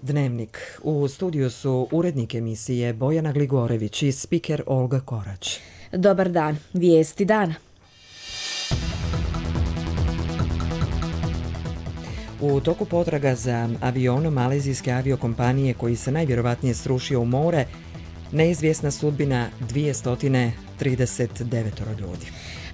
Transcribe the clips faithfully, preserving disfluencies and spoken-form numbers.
Dnevnik. U studiju su urednik emisije Bojana Gligorević i spiker Olga Korać. Dobar dan. Vijesti dana. U toku potraga za avionom malezijske aviokompanije koji se najvjerovatnije srušio u more, neizvjesna sudbina dvjesto trideset devet ljudi.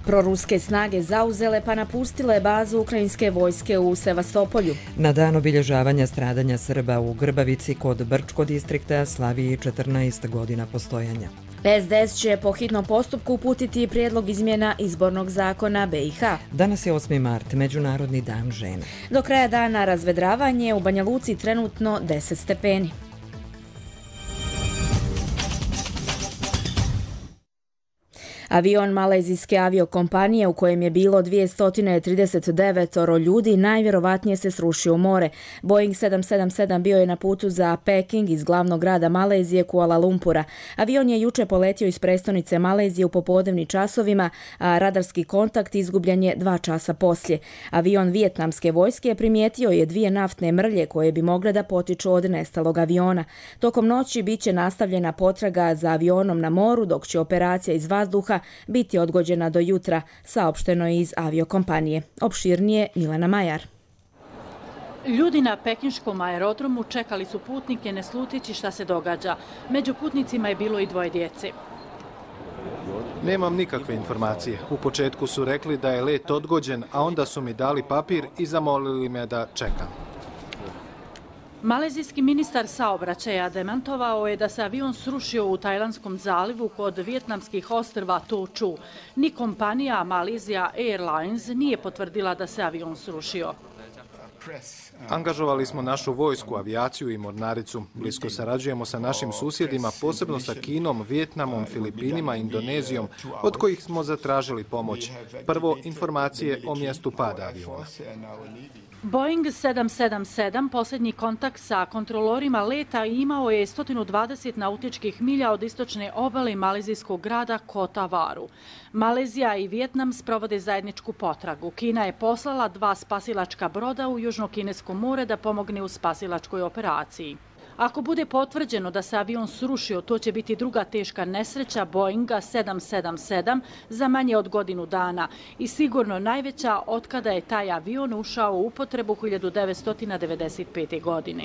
Proruske snage zauzele pa napustile bazu ukrajinske vojske u Sevastopolju. Na dan obilježavanja stradanja Srba u Grbavici kod Brčko distrikta slavi četrnaest godina postojanja. S D S će po hitnom postupku uputiti prijedlog izmjena izbornog zakona B i H. Danas je osmi mart, Međunarodni dan žena. Do kraja dana razvedravanje, u Banja Luci trenutno deset stepeni. Avion malezijske aviokompanije u kojem je bilo dvjesto trideset devet ljudi najvjerovatnije se srušio u more. Boeing sedam sedam sedam bio je na putu za Peking iz glavnog grada Malezije Kuala Lumpura. Avion je juče poletio iz prestonice Malezije u popodnevnim časovima, a radarski kontakt izgubljen je dva časa poslije. Avion vijetnamske vojske primijetio je dvije naftne mrlje koje bi mogle da potiču od nestalog aviona. Tokom noći bit će nastavljena potraga za avionom na moru, dok će operacija iz vazduha biti odgođena do jutra, saopšteno je iz aviokompanije. Opširnije Milana Majar. Ljudi na pekinškom aerodromu čekali su putnike ne slutjeći šta se događa. Među putnicima je bilo i dvoje djece. Nemam nikakve informacije. U početku su rekli da je let odgođen, a onda su mi dali papir i zamolili me da čekam. Malezijski ministar saobraćaja demantovao je da se avion srušio u Tajlandskom zalivu kod vijetnamskih ostrva To Chu. Ni kompanija Malaysia Airlines nije potvrdila da se avion srušio. Angažovali smo našu vojsku, avijaciju i mornaricu. Blisko sarađujemo sa našim susjedima, posebno sa Kinom, Vijetnamom, Filipinima, Indonezijom, od kojih smo zatražili pomoć. Prvo, informacije o mjestu pada aviona. Boeing sedam sedam sedam posljednji kontakt sa kontrolorima leta imao je sto dvadeset nautičkih milja od istočne obale malezijskog grada Kota Varu. Malezija i Vijetnam sprovode zajedničku potragu. Kina je poslala dva spasilačka broda u Južno-Kinesko more da pomogne u spasilačkoj operaciji. Ako bude potvrđeno da se avion srušio, to će biti druga teška nesreća Boeinga sedam sedam sedam za manje od godinu dana i sigurno najveća otkada je taj avion ušao u upotrebu hiljadu devetsto devedeset pete. godine.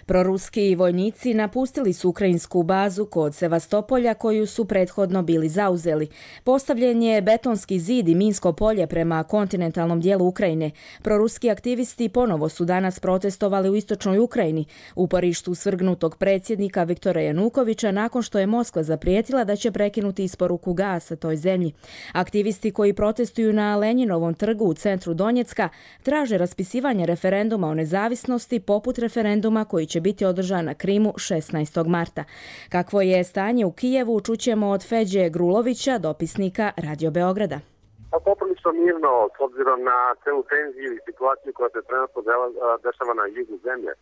Proruski vojnici napustili su ukrajinsku bazu kod Sevastopolja koju su prethodno bili zauzeli. Postavljen je betonski zid i minsko polje prema kontinentalnom dijelu Ukrajine. Proruski aktivisti ponovo su danas protestovali u istočnoj Ukrajini, u uporištu svrgnutog predsjednika Viktora Janukovića nakon što je Moskva zaprijetila da će prekinuti isporuku gasa toj zemlji. Aktivisti koji protestuju na Lenjinovom trgu u centru Donjecka traže raspisivanje referenduma o nezavisnosti poput referenduma koji će biti održan na Krimu šesnaestog marta. Kakvo je stanje u Kijevu, čućemo od Feđe Grulovića, dopisnika Radio Beograda. Poprilično mirno, s obzirom na celu tenziju i situaciju koja se trenutno dešava na jugu zemlje.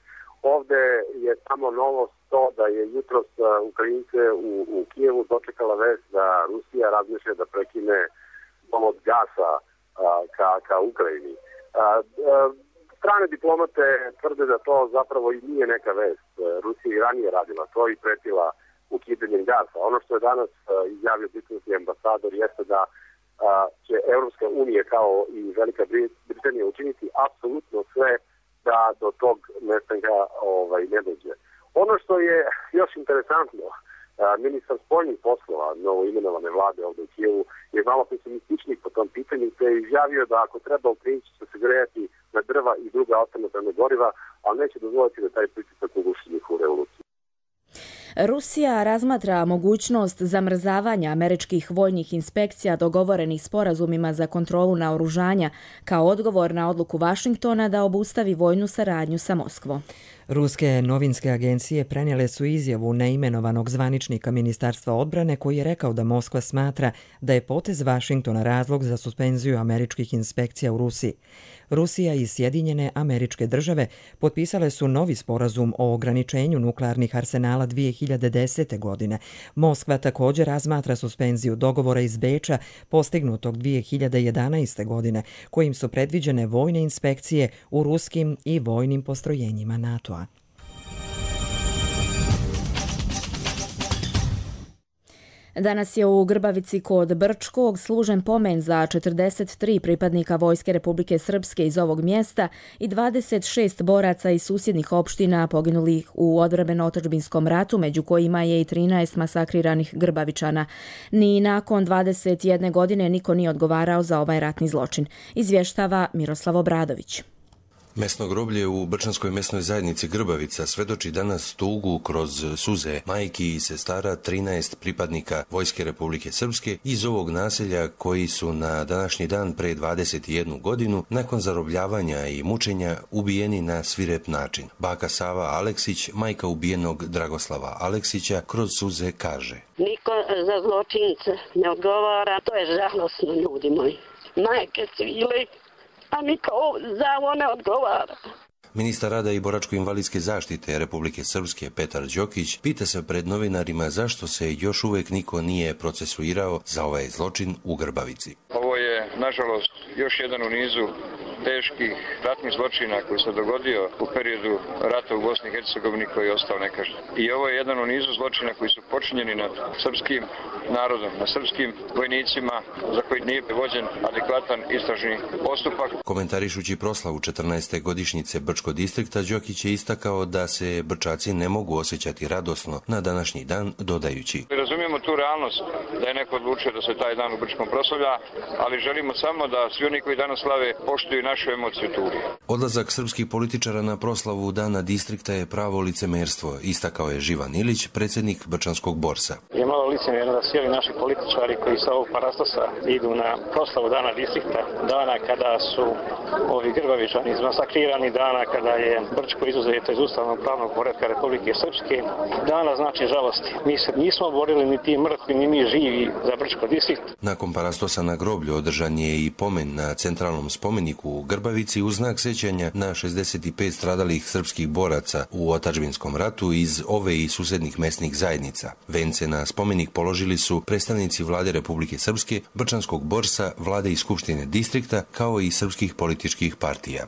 Ovde je samo novost to da je jutros Ukrajince u, u Kijevu dočekala vest da Rusija razmišlja da prekine dovod gasa a, ka, ka Ukrajini. A, a, Strane diplomate tvrde da to zapravo i nije neka vest. Rusija i ranije radila to i pretila ukidanjem gasa. Ono što je danas izjavio britanski ambasador jeste da će Evropska unija kao i Velika Britanija učiniti apsolutno sve da do tog nestanka ovaj, ne dođe. Ono što je još interesantno, ministar spoljnih poslova novo imenovane vlade ovdje u Kijevu je malo pesimističnih po tom pitanju, te je izjavio da ako treba Ukrajinci će se grejati na drva i druga alternativna goriva, ali neće dozvoliti da taj pritisak uguši njihovu revoluciju. Rusija razmatra mogućnost zamrzavanja američkih vojnih inspekcija dogovorenih sporazumima za kontrolu naoružanja kao odgovor na odluku Vašingtona da obustavi vojnu saradnju sa Moskvom. Ruske novinske agencije prenijele su izjavu neimenovanog zvaničnika Ministarstva odbrane koji je rekao da Moskva smatra da je potez Vašingtona razlog za suspenziju američkih inspekcija u Rusiji. Rusija i Sjedinjene Američke Države potpisale su novi sporazum o ograničenju nuklearnih arsenala dvije hiljade desete. godine. Moskva također razmatra suspenziju dogovora iz Beča postignutog dvije hiljade jedanaeste. godine, kojim su predviđene vojne inspekcije u ruskim i vojnim postrojenjima NATO-a. Danas je u Grbavici kod Brčkog služen pomen za četrdeset tri pripadnika Vojske Republike Srpske iz ovog mjesta i dvadeset šest boraca iz susjednih opština poginulih u odbrambeno-otadžbinskom ratu, među kojima je i trinaest masakriranih Grbavičana. Ni nakon dvadeset jedne godine niko nije odgovarao za ovaj ratni zločin, izvještava Miroslav Obradović. Mesno groblje u Brčanskoj mesnoj zajednici Grbavica svedoči danas tugu kroz suze majki i sestara trinaest pripadnika Vojske Republike Srpske iz ovog naselja koji su na današnji dan pre dvadeset jednu godinu nakon zarobljavanja i mučenja ubijeni na svirep način. Baka Sava Aleksić, majka ubijenog Dragoslava Aleksića, kroz suze kaže: Niko za zločince ne odgovara, to je žalosno, ljudi moji. Majke cvile, a niko za ovo ne odgovara. Ministar rada i boračko-invalidske zaštite Republike Srpske Petar Đokić pita se pred novinarima zašto se još uvijek niko nije procesuirao za ovaj zločin u Grbavici. Ovo je, nažalost, još jedan u nizu teških ratnih zločina koji se dogodio u periodu rata u Bosni i Hercegovini koji je ostao nekažnjen. I ovo je jedan u nizu zločina koji su počinjeni nad srpskim narodom, nad srpskim vojnicima za koji nije vođen adekvatan istražni postupak. Komentarišući proslavu četrnaeste godišnjice Brčkog distrikta, Đokić je istakao da se Brčaci ne mogu osjećati radosno na današnji dan, dodajući: Razumijemo tu realnost da je neko odlučio da se taj dan u Brčkom proslavlja, ali želimo samo da svi oni koji danas slave poštuju našu emociju tuge. Odlazak srpskih političara na proslavu dana distrikta je pravo licemerstvo, istakao je Živan Ilić, predsjednik Brčanskog borsa. Je malo licemjerno da svi ovi naši političari koji sa ovog parastosa idu na proslavu dana distrikta, dana kada su ovi Grbavičani izmasakrirani, dana kada je Brčko izuzeto iz ustavnog pravnog poretka Republike Srpske, dana znači žalosti. Mi se nismo borili ni ti mrtvi, ni mi živi za Brčko distrikt. Nakon parastosa na groblju održan je i pomen na centralnom spomeniku u Grbavici u znak sećanja na šezdeset pet stradalih srpskih boraca u otadžbinskom ratu iz ove i susednih mesnih zajednica. Vence na spomenik položili su predstavnici vlade Republike Srpske, Brčanskog borsa, vlade i skupštine distrikta, kao i srpskih političkih partija.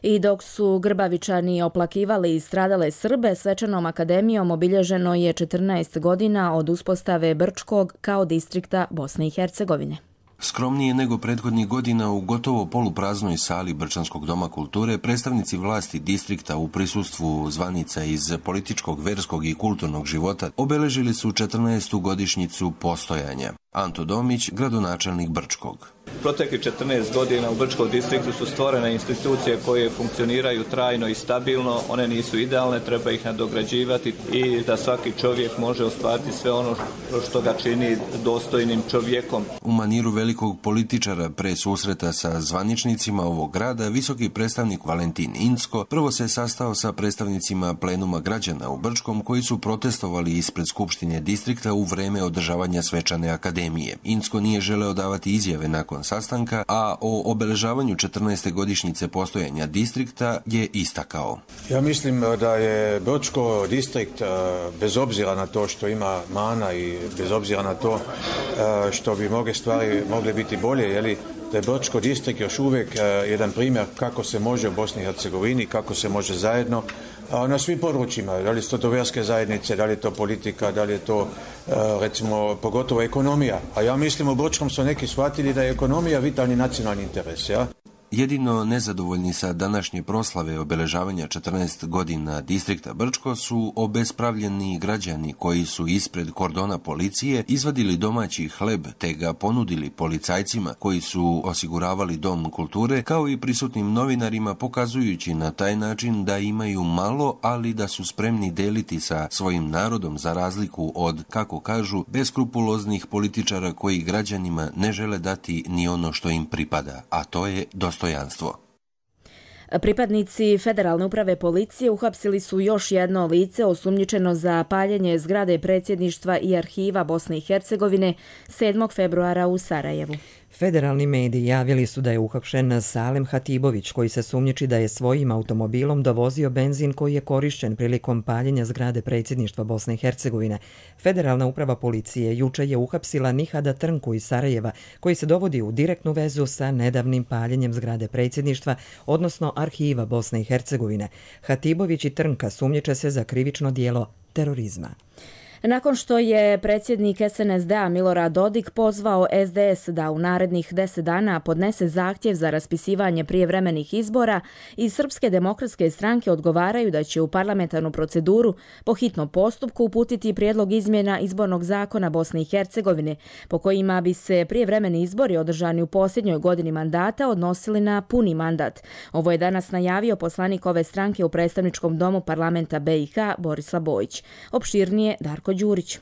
I dok su Grbavičani oplakivali stradale Srbe, Svečanom akademijom obilježeno je četrnaest godina od uspostave Brčkog kao distrikta Bosne i Hercegovine. Skromnije nego prethodnih godina u gotovo polupraznoj sali Brčanskog doma kulture predstavnici vlasti distrikta u prisustvu zvanica iz političkog, verskog i kulturnog života obeležili su četrnaestu godišnjicu postojanja. Anto Domić, gradonačelnik Brčkog. Protekli četrnaest godina u Brčkom distriktu su stvorene institucije koje funkcioniraju trajno i stabilno. One nisu idealne, treba ih nadograđivati i da svaki čovjek može ostvariti sve ono što ga čini dostojnim čovjekom. U maniru velikog političara pre susreta sa zvaničnicima ovog grada, visoki predstavnik Valentin Incko prvo se sastao sa predstavnicima plenuma građana u Brčkom koji su protestovali ispred Skupštine distrikta u vreme održavanja Svečane akademije. Incko nije želeo davati izjave nakon sastanka, a o obeležavanju četrnaeste godišnjice postojanja distrikta je istakao. Ja mislim da je Brčko distrikt, bez obzira na to što ima mana i bez obzira na to što bi mnoge stvari mogle biti bolje, jeli, da je Brčko distrikt još uvijek jedan primjer kako se može u Bosni i Hercegovini, kako se može zajedno na svim područjima, da li su to vjerske zajednice, da li je to politika, da li je to recimo pogotovo ekonomija. A ja mislim u Brčkom su neki shvatili da je ekonomija vitalni nacionalni interes, ja? Jedino nezadovoljni sa današnje proslave obeležavanja četrnaest godina distrikta Brčko su obespravljeni građani koji su ispred kordona policije izvadili domaći hleb te ga ponudili policajcima koji su osiguravali dom kulture, kao i prisutnim novinarima, pokazujući na taj način da imaju malo, ali da su spremni deliti sa svojim narodom, za razliku od, kako kažu, beskrupuloznih političara koji građanima ne žele dati ni ono što im pripada, a to je dostojanstvo. Pripadnici Federalne uprave policije uhapsili su još jedno lice osumnjičeno za paljenje zgrade predsjedništva i arhiva Bosne i Hercegovine sedmog februara u Sarajevu. Federalni mediji javili su da je uhapšen Salem Hatibović, koji se sumnjiči da je svojim automobilom dovozio benzin koji je korišćen prilikom paljenja zgrade predsjedništva Bosne i Hercegovine. Federalna uprava policije juče je uhapsila Nihada Trnku iz Sarajeva, koji se dovodi u direktnu vezu sa nedavnim paljenjem zgrade predsjedništva, odnosno arhiva Bosne i Hercegovine. Hatibović i Trnka sumnjiče se za krivično dijelo terorizma. Nakon što je predsjednik S N S D-a Milorad Dodik pozvao S D S da u narednih deset dana podnese zahtjev za raspisivanje prijevremenih izbora, iz Srpske demokratske stranke odgovaraju da će u parlamentarnu proceduru po hitnom postupku uputiti prijedlog izmjena izbornog zakona Bosne i Hercegovine, po kojima bi se prijevremeni izbori održani u posljednjoj godini mandata odnosili na puni mandat. Ovo je danas najavio poslanik ove stranke u predstavničkom domu parlamenta B i H Borislav Bojić. Opširnije Darko Đurić.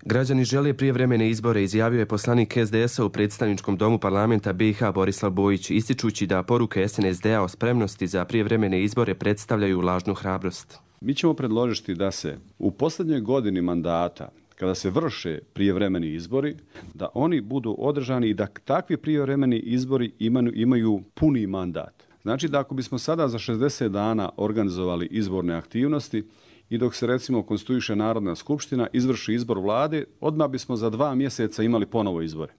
Građani žele prijevremene izbore, izjavio je poslanik S D S-a u predstavničkom domu parlamenta B i H Borislav Bojić, ističući da poruke S N S D-a o spremnosti za prijevremene izbore predstavljaju lažnu hrabrost. Mi ćemo predložiti da se u posljednjoj godini mandata, kada se vrše prijevremeni izbori, da oni budu održani i da takvi prijevremeni izbori imaju, imaju puni mandat. Znači da ako bismo sada za šezdeset dana organizovali izborne aktivnosti i dok se recimo konstituiše Narodna skupština, izvrši izbor vlade, odmah bismo za dva mjeseca imali ponovo izbore.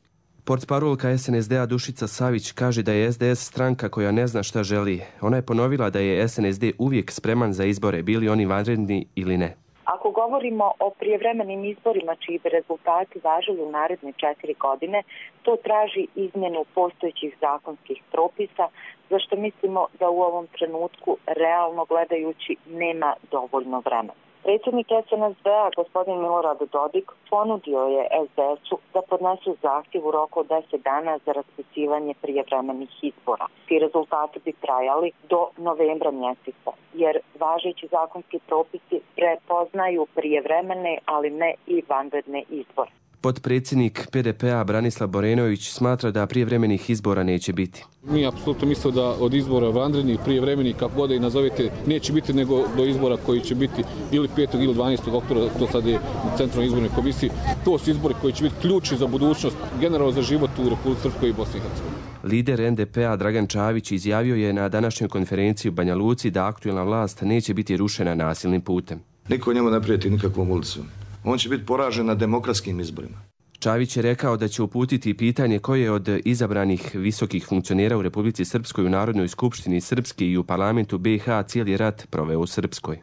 Portparolka S N S D-a Dušica Savić kaže da je S D S stranka koja ne zna šta želi. Ona je ponovila da je S N S D uvijek spreman za izbore, bili oni vanredni ili ne. Ako govorimo o prijevremenim izborima čiji bi rezultati važili u naredne četiri godine, to traži izmjenu postojećih zakonskih propisa, za što mislimo da u ovom trenutku, realno gledajući, nema dovoljno vremena. Predsjednik S N S D-a, gospodin Milorad Dodik, ponudio je S D S-u da podnesu zahtjev u roku od deset dana za raspisivanje prijevremenih izbora. Ti rezultati bi trajali do novembra mjeseca, jer važeći zakonski propisi prepoznaju prijevremene, ali ne i vanredne izbore. Potpredsjednik P D P-a Branislav Borenović smatra da prijevremenih izbora neće biti. Mi apsolutno mislimo da od izbora vanrednih, prijevremenih, kako god i nazovete, neće biti nego do izbora koji će biti ili petog ili dvanaestog oktobra, to sad je u Centralnoj izbornoj komisiji. To su izbori koji će biti ključni za budućnost, generalno za život u Republici Srpskoj i Bosni i Hercegovini. Lider N D P-a Dragan Čavić izjavio je na današnjoj konferenciji u Banja Luci da aktuelna vlast neće biti rušena nasilnim putem. Niko njemu ne prijeti nikakvom ulicom. On će biti poražen na demokratskim izborima. Čavić je rekao da će uputiti pitanje koje od izabranih visokih funkcionera u Republici Srpskoj u Narodnoj skupštini Srpske i u parlamentu B i H cijeli rat proveo u Srpskoj.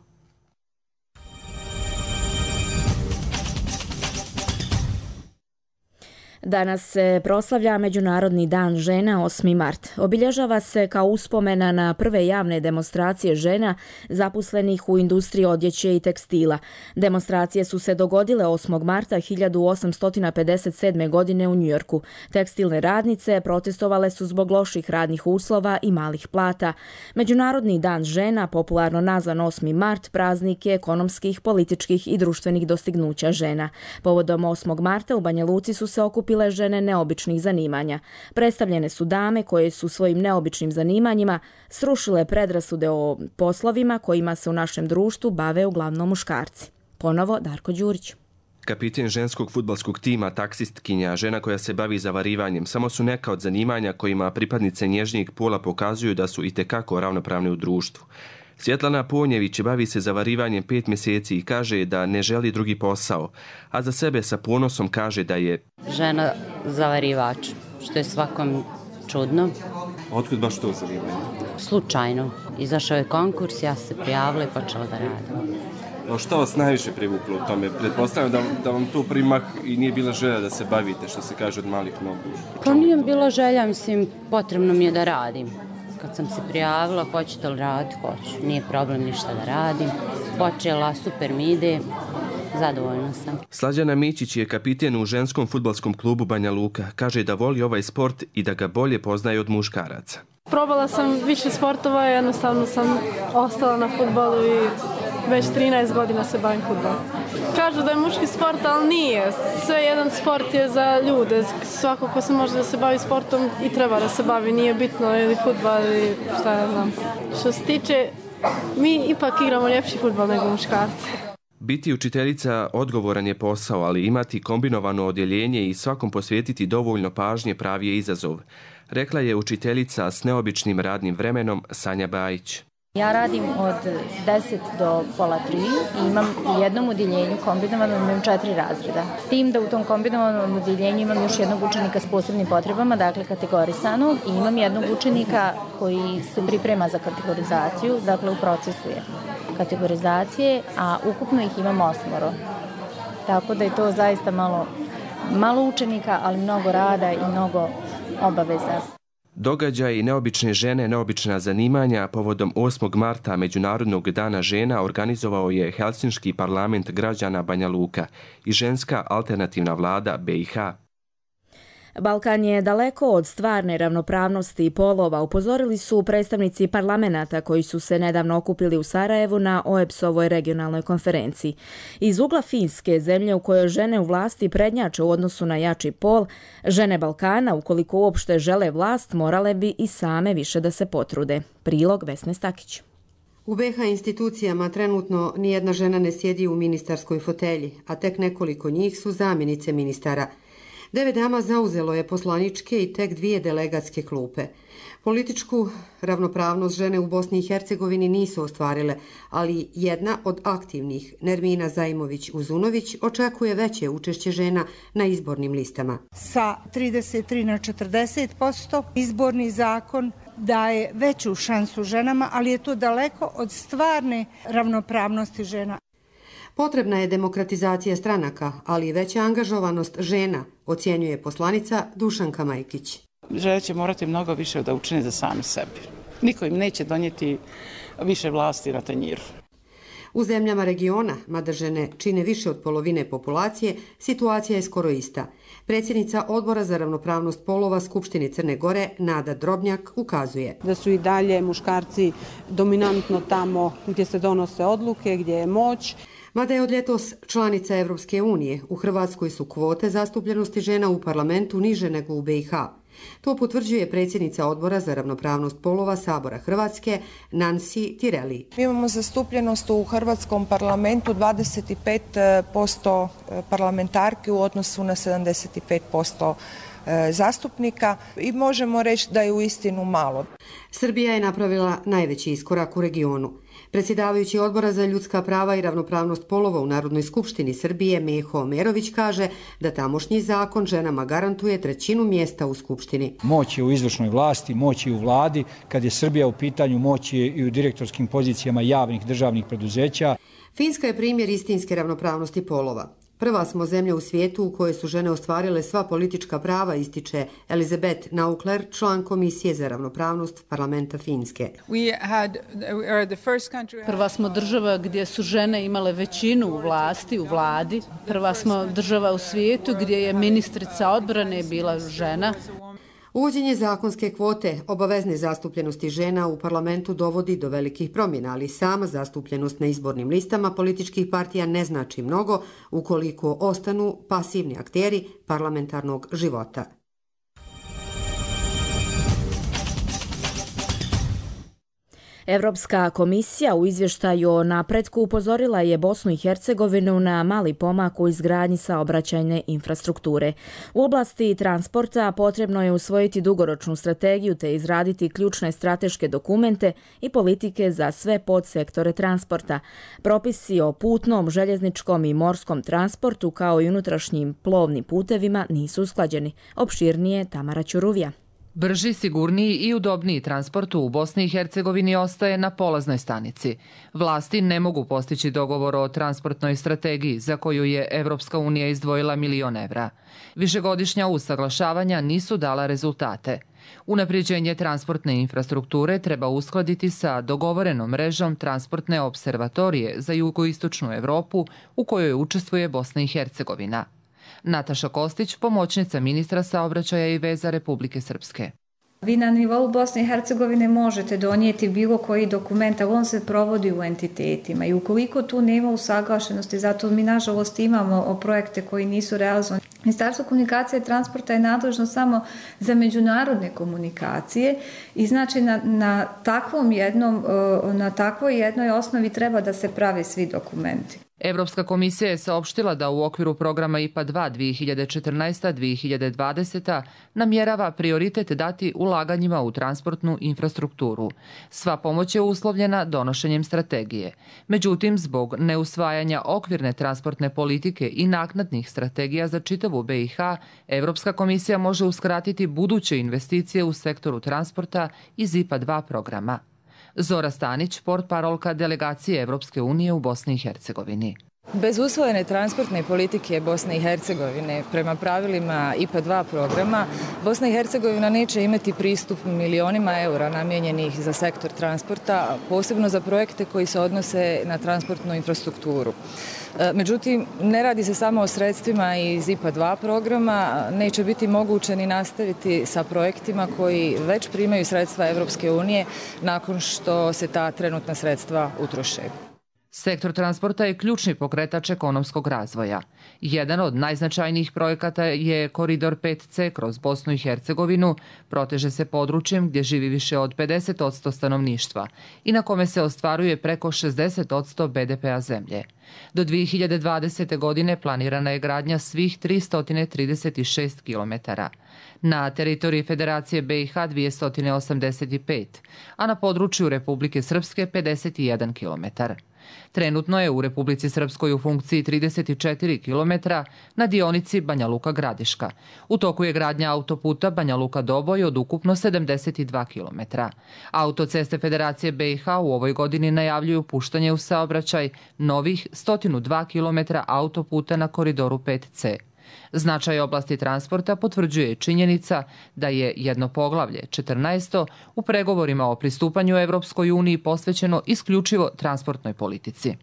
Danas se proslavlja Međunarodni dan žena osmi mart. Obilježava se kao uspomena na prve javne demonstracije žena zaposlenih u industriji odjeće i tekstila. Demonstracije su se dogodile osmog marta hiljadu osamsto pedeset sedme. godine u Njujorku. Tekstilne radnice protestovale su zbog loših radnih uslova i malih plata. Međunarodni dan žena, popularno nazvan osmi mart, praznik je ekonomskih, političkih i društvenih dostignuća žena. Povodom osmog marta u Banja Luci su se okupili bile žene neobičnih zanimanja. Predstavljene su dame koje su svojim neobičnim zanimanjima srušile predrasude o poslovima kojima se u našem društvu bave uglavnom muškarci. Ponovo Darko Đurić. Kapiten ženskog fudbalskog tima, taksistkinja, žena koja se bavi zavarivanjem, samo su neka od zanimanja kojima pripadnice nježnijeg pola pokazuju da su itekako ravnopravne u društvu. Svjetlana Ponjević bavi se zavarivanjem pet mjeseci i kaže da ne želi drugi posao, a za sebe sa ponosom kaže da je žena zavarivač, što je svakom čudno. Otkud baš to zanimanje? Slučajno. Izašao je konkurs, ja se prijavila i počela da radim. No što vas najviše privuklo u tome? Pretpostavljam da, da vam to primah i nije bila želja da se bavite, što se kaže, od malih nogu. Pa nije bila želja, mislim, potrebno mi je da radim. Kad sam se prijavila, hoćete li raditi? Hoću. Nije problem ništa da radim. Počela, super mi ide, zadovoljna sam. Slađana Mićić je kapiten u ženskom fudbalskom klubu Banja Luka. Kaže da voli ovaj sport i da ga bolje poznaje od muškaraca. Probala sam više sportova, jednostavno sam ostala na fudbalu i već trinaest godina se bavim fudbalom. Kažu da je muški sport, ali nije. Sve jedan sport je za ljude. Svako ko se može da se bavi sportom i treba da se bavi. Nije bitno ili fudbal ili šta ja znam. Što se tiče, mi ipak igramo ljepši fudbal nego muškarci. Biti učiteljica odgovoran je posao, ali imati kombinovano odjeljenje i svakom posvetiti dovoljno pažnje pravi je izazov. Rekla je učiteljica s neobičnim radnim vremenom Sanja Bajić. Ja radim od deset do pola tri i imam u jednom udjeljenju kombinovano, imam četiri razreda. S tim da u tom kombinovanom udjeljenju imam još jednog učenika s posebnim potrebama, dakle kategorisanog, i imam jednog učenika koji se priprema za kategorizaciju, dakle u procesu je kategorizacije, a ukupno ih imam osmoro. tako da je to zaista malo, malo učenika, ali mnogo rada i mnogo obaveza. Događaj i neobične žene, neobična zanimanja povodom osmog marta Međunarodnog dana žena organizovao je Helsinški parlament građana Banja Luka i ženska alternativna vlada B i H. Balkan je daleko od stvarne ravnopravnosti polova, upozorili su predstavnici parlamenata koji su se nedavno okupili u Sarajevu na O E B S-ovoj regionalnoj konferenciji. Iz ugla Finske, zemlje u kojoj žene u vlasti prednjače u odnosu na jači pol, žene Balkana, ukoliko uopšte žele vlast, morale bi i same više da se potrude. Prilog Vesne Stakić. U B H institucijama trenutno nijedna žena ne sjedi u ministarskoj fotelji, a tek nekoliko njih su zamjenice ministara. Devet dama zauzelo je poslaničke i tek dvije delegatske klupe. Političku ravnopravnost žene u Bosni i Hercegovini nisu ostvarile, ali jedna od aktivnih, Nermina Zajmović-Uzunović, očekuje veće učešće žena na izbornim listama. Sa trideset tri na četrdeset posto izborni zakon daje veću šansu ženama, ali je to daleko od stvarne ravnopravnosti žena. Potrebna je demokratizacija stranaka, ali i veća angažovanost žena, ocjenjuje poslanica Dušanka Majkić. Žene će morati mnogo više da učine za sami sebi. Niko im neće donijeti više vlasti na tanjiru. U zemljama regiona, mada žene čine više od polovine populacije, situacija je skoro ista. Predsjednica Odbora za ravnopravnost polova Skupštine Crne Gore, Nada Drobnjak, ukazuje da su i dalje muškarci dominantno tamo gdje se donose odluke, gdje je moć. Mada je od ljetos članica Evropske unije, u Hrvatskoj su kvote zastupljenosti žena u parlamentu niže nego u B i H. To potvrđuje predsjednica Odbora za ravnopravnost polova Sabora Hrvatske, Nancy Tireli. Mi imamo zastupljenost u Hrvatskom parlamentu dvadeset pet posto parlamentarki u odnosu na sedamdeset pet posto zastupnika i možemo reći da je uistinu malo. Srbija je napravila najveći iskorak u regionu. Predsjedavajući Odbora za ljudska prava i ravnopravnost polova u Narodnoj skupštini Srbije Meho Merović kaže da tamošnji zakon ženama garantuje trećinu mjesta u skupštini. Moć je u izvršnoj vlasti, moć je u vladi, kad je Srbija u pitanju, moć je i u direktorskim pozicijama javnih državnih preduzeća. Finska je primjer istinske ravnopravnosti polova. Prva smo zemlja u svijetu u kojoj su žene ostvarile sva politička prava, ističe Elizabeth Naukler, član Komisije za ravnopravnost parlamenta Finske. Prva smo država gdje su žene imale većinu u vlasti, u vladi. Prva smo država u svijetu gdje je ministrica odbrane bila žena. Uvođenje zakonske kvote obavezne zastupljenosti žena u parlamentu dovodi do velikih promjena, ali sama zastupljenost na izbornim listama političkih partija ne znači mnogo ukoliko ostanu pasivni akteri parlamentarnog života. Evropska komisija u izvještaju o napretku upozorila je Bosnu i Hercegovinu na mali pomak u izgradnji saobraćajne infrastrukture. U oblasti transporta potrebno je usvojiti dugoročnu strategiju te izraditi ključne strateške dokumente i politike za sve podsektore transporta. Propisi o putnom, željezničkom i morskom transportu kao i unutrašnjim plovnim putevima nisu usklađeni. Opširnije Tamara Ćuruvija. Brži, sigurniji i udobniji transport u Bosni i Hercegovini ostaje na polaznoj stanici. Vlasti ne mogu postići dogovor o transportnoj strategiji za koju je Evropska unija izdvojila milion evra. Višegodišnja usaglašavanja nisu dala rezultate. Unapređenje transportne infrastrukture treba uskladiti sa dogovorenom mrežom transportne observatorije za jugoistočnu Evropu u kojoj učestvuje Bosna i Hercegovina. Nataša Kostić, pomoćnica ministra saobraćaja i veza Republike Srpske. Vi na nivou Bosne i Hercegovine možete donijeti bilo koji dokument, ali on se provodi u entitetima i ukoliko tu nema usaglašenosti, zato mi nažalost imamo projekte koji nisu realizovani. Ministarstvo komunikacije i transporta je nadležno samo za međunarodne komunikacije i znači na, na, takvom jednom, na takvoj jednoj osnovi treba da se prave svi dokumenti. Evropska komisija je saopštila da u okviru programa I P A dva dvije hiljade četrnaesta do dvije hiljade dvadeseta namjerava prioritet dati ulaganjima u transportnu infrastrukturu. Sva pomoć je uslovljena donošenjem strategije. Međutim, zbog neusvajanja okvirne transportne politike i naknadnih strategija za čitavu B i H, Evropska komisija može uskratiti buduće investicije u sektoru transporta iz I P A dva programa. Zora Stanić, portparolka delegacije Evropske unije u Bosni i Hercegovini. Bez usvojene transportne politike Bosne i Hercegovine prema pravilima I P A dva programa, Bosna i Hercegovina neće imati pristup milionima eura namijenjenih za sektor transporta, posebno za projekte koji se odnose na transportnu infrastrukturu. Međutim, ne radi se samo o sredstvima iz I P A dva programa, neće biti moguće ni nastaviti sa projektima koji već primaju sredstva Evropske unije nakon što se ta trenutna sredstva utroše. Sektor transporta je ključni pokretač ekonomskog razvoja. Jedan od najznačajnijih projekata je Koridor pet C kroz Bosnu i Hercegovinu, proteže se područjem gdje živi više od pedeset posto stanovništva i na kome se ostvaruje preko šezdeset posto B D P-a zemlje. Do dvije hiljade dvadesete. godine planirana je gradnja svih tristo trideset šest kilometara. Na teritoriji Federacije B i H dvjesto osamdeset pet, a na području Republike Srpske pedeset jedan kilometar. Trenutno je u Republici Srpskoj u funkciji trideset četiri kilometra na dionici Banja Luka-Gradiška. U toku je gradnja autoputa Banja Luka-Doboj od ukupno sedamdeset dva kilometra. Autoceste Federacije B i H u ovoj godini najavljuju puštanje u saobraćaj novih sto dva kilometra autoputa na Koridoru pet C. Značaj oblasti transporta potvrđuje činjenica da je jedno poglavlje, četrnaesto, u pregovorima o pristupanju Evropskoj uniji posvećeno isključivo transportnoj politici.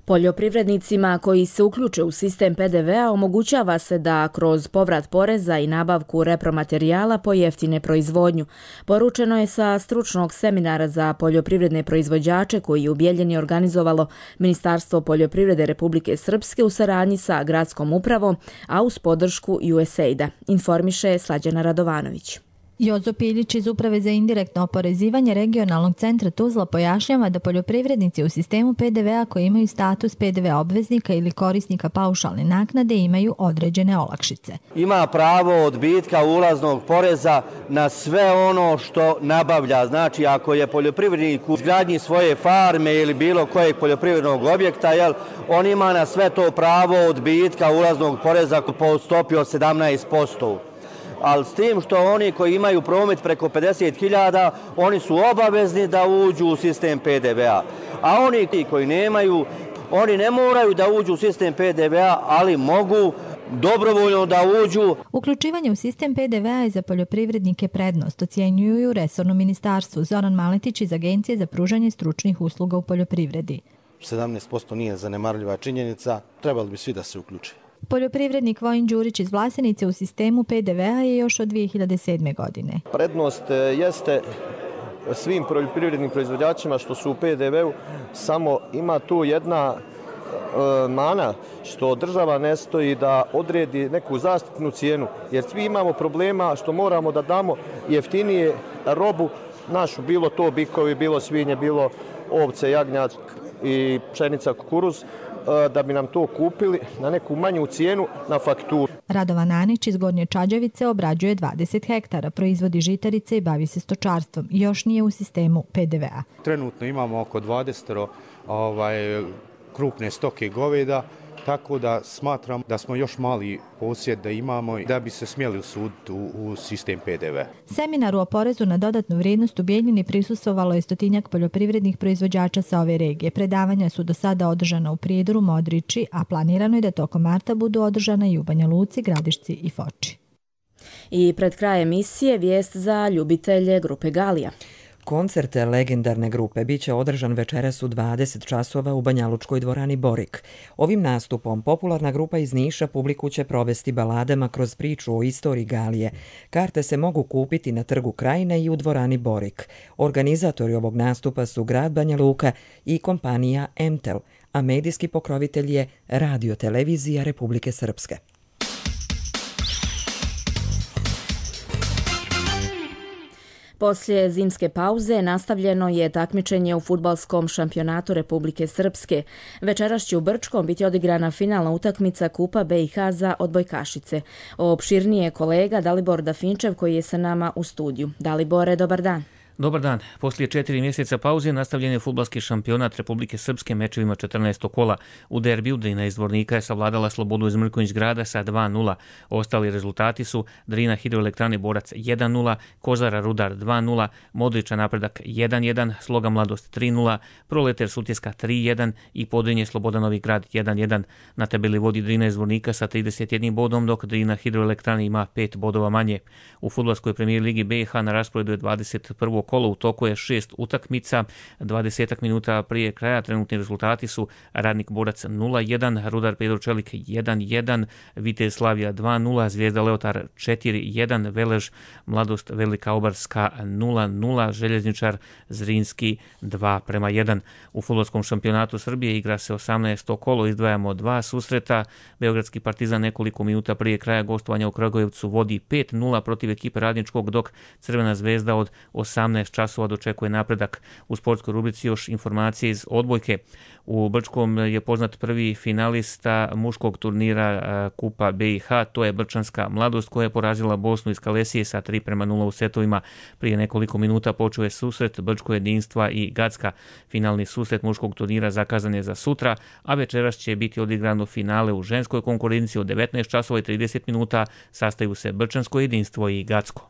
Poljoprivrednicima koji se uključe u sistem P D V-a omogućava se da kroz povrat poreza i nabavku repromaterijala pojeftine proizvodnju. Poručeno je sa stručnog seminara za poljoprivredne proizvođače koji je u Bijeljini organizovalo Ministarstvo poljoprivrede Republike Srpske u saradnji sa gradskom upravom, a uz podršku U S A I D-a, informiše Slađana Radovanović. Jozo Piljić iz Uprave za indirektno oporezivanje regionalnog centra Tuzla pojašnjava da poljoprivrednici u sistemu P D V-a koji imaju status P D V obveznika ili korisnika paušalne naknade imaju određene olakšice. Ima pravo odbitka ulaznog poreza na sve ono što nabavlja. Znači, ako je poljoprivrednik u izgradnji svoje farme ili bilo kojeg poljoprivrednog objekta, jel, on ima na sve to pravo odbitka ulaznog poreza po stopi od sedamnaest posto. Ali s tim što oni koji imaju promet preko pedeset hiljada, oni su obavezni da uđu u sistem P D V-a. A oni koji nemaju, oni ne moraju da uđu u sistem P D V-a, ali mogu dobrovoljno da uđu. Uključivanje u sistem P D V-a je za poljoprivrednike prednost, ocjenjuju u resornom ministarstvu. Zoran Maletić iz Agencije za pružanje stručnih usluga u poljoprivredi. sedamnaest posto nije zanemarljiva činjenica, trebali bi svi da se uključe. Poljoprivrednik Vojin Đurić iz Vlasenice u sistemu P D V-a je još od dvije hiljade sedme. godine. Prednost jeste svim poljoprivrednim proizvođačima što su u P D V-u, samo ima tu jedna e, mana što država ne stoji da odredi neku zaštitnu cijenu, jer svi imamo problema što moramo da damo jeftinije robu našu, bilo to bikovi, bilo svinje, bilo ovce, jagnjad i pšenica, kukuruz, da bi nam to kupili na neku manju cijenu na fakturu. Radovan Anić iz Gornje Čađavice obrađuje dvadeset hektara, proizvodi žitarice i bavi se stočarstvom. Još nije u sistemu P D V-a. Trenutno imamo oko dvadeset ovaj, krupne stoke goveda, tako da smatram da smo još mali posjed da imamo da bi se smjeli usuditi u, u sistem P D V. Seminaru o porezu na dodatnu vrijednost u Bijeljini prisustvovalo je stotinjak poljoprivrednih proizvođača sa ove regije. Predavanja su do sada održana u Prijedoru, Modriči, a planirano je da tokom marta budu održana i u Banja Luci, Gradišci i Foči. I pred kraj emisije vijest za ljubitelje grupe Galija. Koncert legendarne grupe biće održan večeras u dvadeset časova u Banjalučkoj dvorani Borik. Ovim nastupom popularna grupa iz Niša publiku će provesti baladama kroz priču o istoriji Galije. Karte se mogu kupiti na Trgu Krajine i u dvorani Borik. Organizatori ovog nastupa su grad Banja Luka i kompanija Emtel, a medijski pokrovitelj je Radio Televizija Republike Srpske. Poslije zimske pauze nastavljeno je takmičenje u fudbalskom šampionatu Republike Srpske. Večeras će u Brčkom biti odigrana finalna utakmica Kupa B i H za odbojkašice. Opširnije je kolega Dalibor Dafinčev koji je sa nama u studiju. Dalibore, dobar dan. Dobar dan. Poslije četiri mjeseca pauze nastavljen je fudbalski šampionat Republike Srpske mečevima četrnaestog kola. U derbiju Drina iz Zvornika je savladala Slobodu iz Mrkonjić Grada sa dva nula. Ostali rezultati su Drina Hidroelektrane Borac jedan nula, Kozara Rudar dva nula, Modriča Napredak jedan jedan, Sloga Mladost tri nula, Proleter Sutjeska tri jedan i Podrinje Sloboda Novi Grad jedan jedan. Na tabeli vodi Drina iz Zvornika sa trideset jednim bodom, dok Drina Hidroelektrane ima pet bodova manje. U fudbalskoj premijer ligi B iH na rasporedu je dvadeset prvo kolo, u toku je šest utakmica, dvadeset minuta prije kraja trenutni rezultati su Radnik Borac nula jedan, Rudar Pedro Čelik jedan jedan, Vitez Slavija dva nula, Zvijezda Leotar četiri jedan, Velež Mladost Velika Obarska nula nula, Željezničar Zrinski dva prema jedan. U fudbalskom šampionatu Srbije igra se osamnaesto kolo, izdvajamo dva susreta. Beogradski Partizan nekoliko minuta prije kraja gostovanja u Kragujevcu vodi pet nula protiv ekipe Radničkog, dok Crvena zvezda od osamnaest časova dočekuje Napredak. U sportskoj rubrici još informacije iz odbojke. U Brčkom je poznat prvi finalista muškog turnira Kupa B iH, to je Brčanska Mladost koja je porazila Bosnu iz Kalesije sa tri prema nula u setovima. Prije nekoliko minuta počeo je susret Brčko jedinstva i Gacka. Finalni susret muškog turnira zakazan je za sutra, a večeras će biti odigrano finale u ženskoj konkurenciji od devetnaest časova i trideset minuta. Sastaju se Brčansko jedinstvo i Gacko.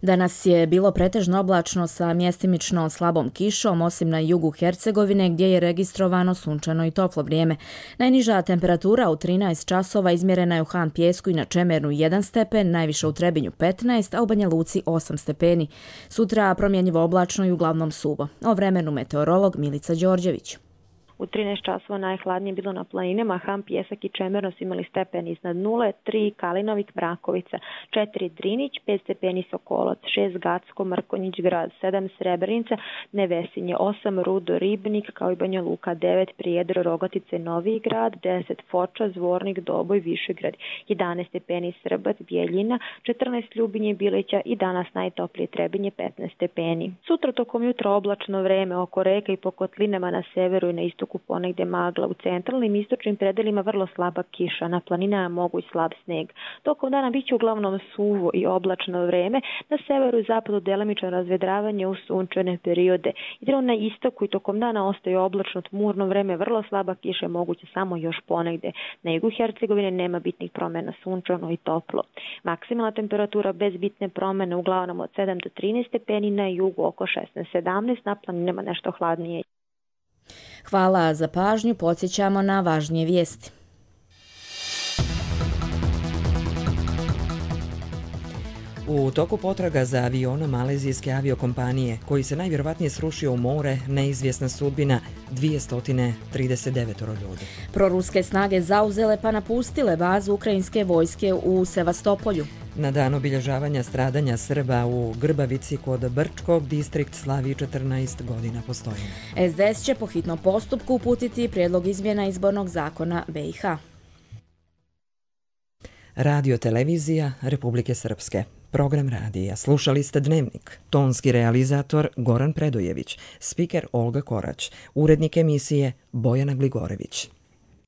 Danas je bilo pretežno oblačno sa mjestimično slabom kišom, osim na jugu Hercegovine gdje je registrovano sunčano i toplo vrijeme. Najniža temperatura u trinaest časova izmjerena je u Han Pijesku i na Čemernu jedan stepen, najviše u Trebinju petnaest, a u Banja Luci osam stepeni. Sutra promjenjivo oblačno i uglavnom suvo. O vremenu meteorolog Milica Đorđević. U trinaest časova najhladnije bilo na planinama, Han, Pijesak i Čemerno su imali stepen iznad nule, tri Kalinovik, Brakovica, četiri Drinić, pet stepeni Sokolac, šest Gacko, Mrkonjić Grad, sedam Srebrenica, Nevesinje, osam Rudo, Ribnik, kao i Banja Luka, devet Prijedor, Rogatice, Novi Grad, deset Foča, Zvornik, Doboj, Višegrad, jedanaest stepeni Srbac, Bijeljina, četrnaest Ljubinje, Bilića i danas najtoplije Trebinje, petnaest stepeni. Sutra tokom jutra oblačno vreme oko reka i po kotlinama na severu i na istoku ponegdje magla, u centralnim i istočnim predelima vrlo slaba kiša, na planinama mogu i slab sneg. Tokom dana biće uglavnom suvo i oblačno vreme, na severu i zapadu delimično razvedravanje u sunčane periode. Idemo na istoku i tokom dana ostaje oblačno tmurno vreme, vrlo slaba kiša, moguće samo još ponegdje. Na jugu Hercegovine nema bitnih promjena, sunčano i toplo. Maksimalna temperatura bez bitne promjene uglavnom od sedam do trinaest stepeni, na jugu oko šesnaest sedamnaest, na planinama nešto hladnije. Hvala za pažnju, podsjećamo na važnije vijesti. U toku potraga za avionom malezijske aviokompanije, koji se najvjerovatnije srušio u more, neizvjesna sudbina dvjesto trideset devet ljudi. Proruske snage zauzele pa napustile bazu ukrajinske vojske u Sevastopolju. Na dan obilježavanja stradanja Srba u Grbavici kod Brčkog, distrikt slavi četrnaest godina postojanja. S D S će po hitnom postupku uputiti prijedlog izmjena izbornog zakona B iH. Radio televizija Republike Srpske. Program radija. Slušali ste Dnevnik. Tonski realizator Goran Predojević. Spiker Olga Korać. Urednik emisije Bojana Gligorević.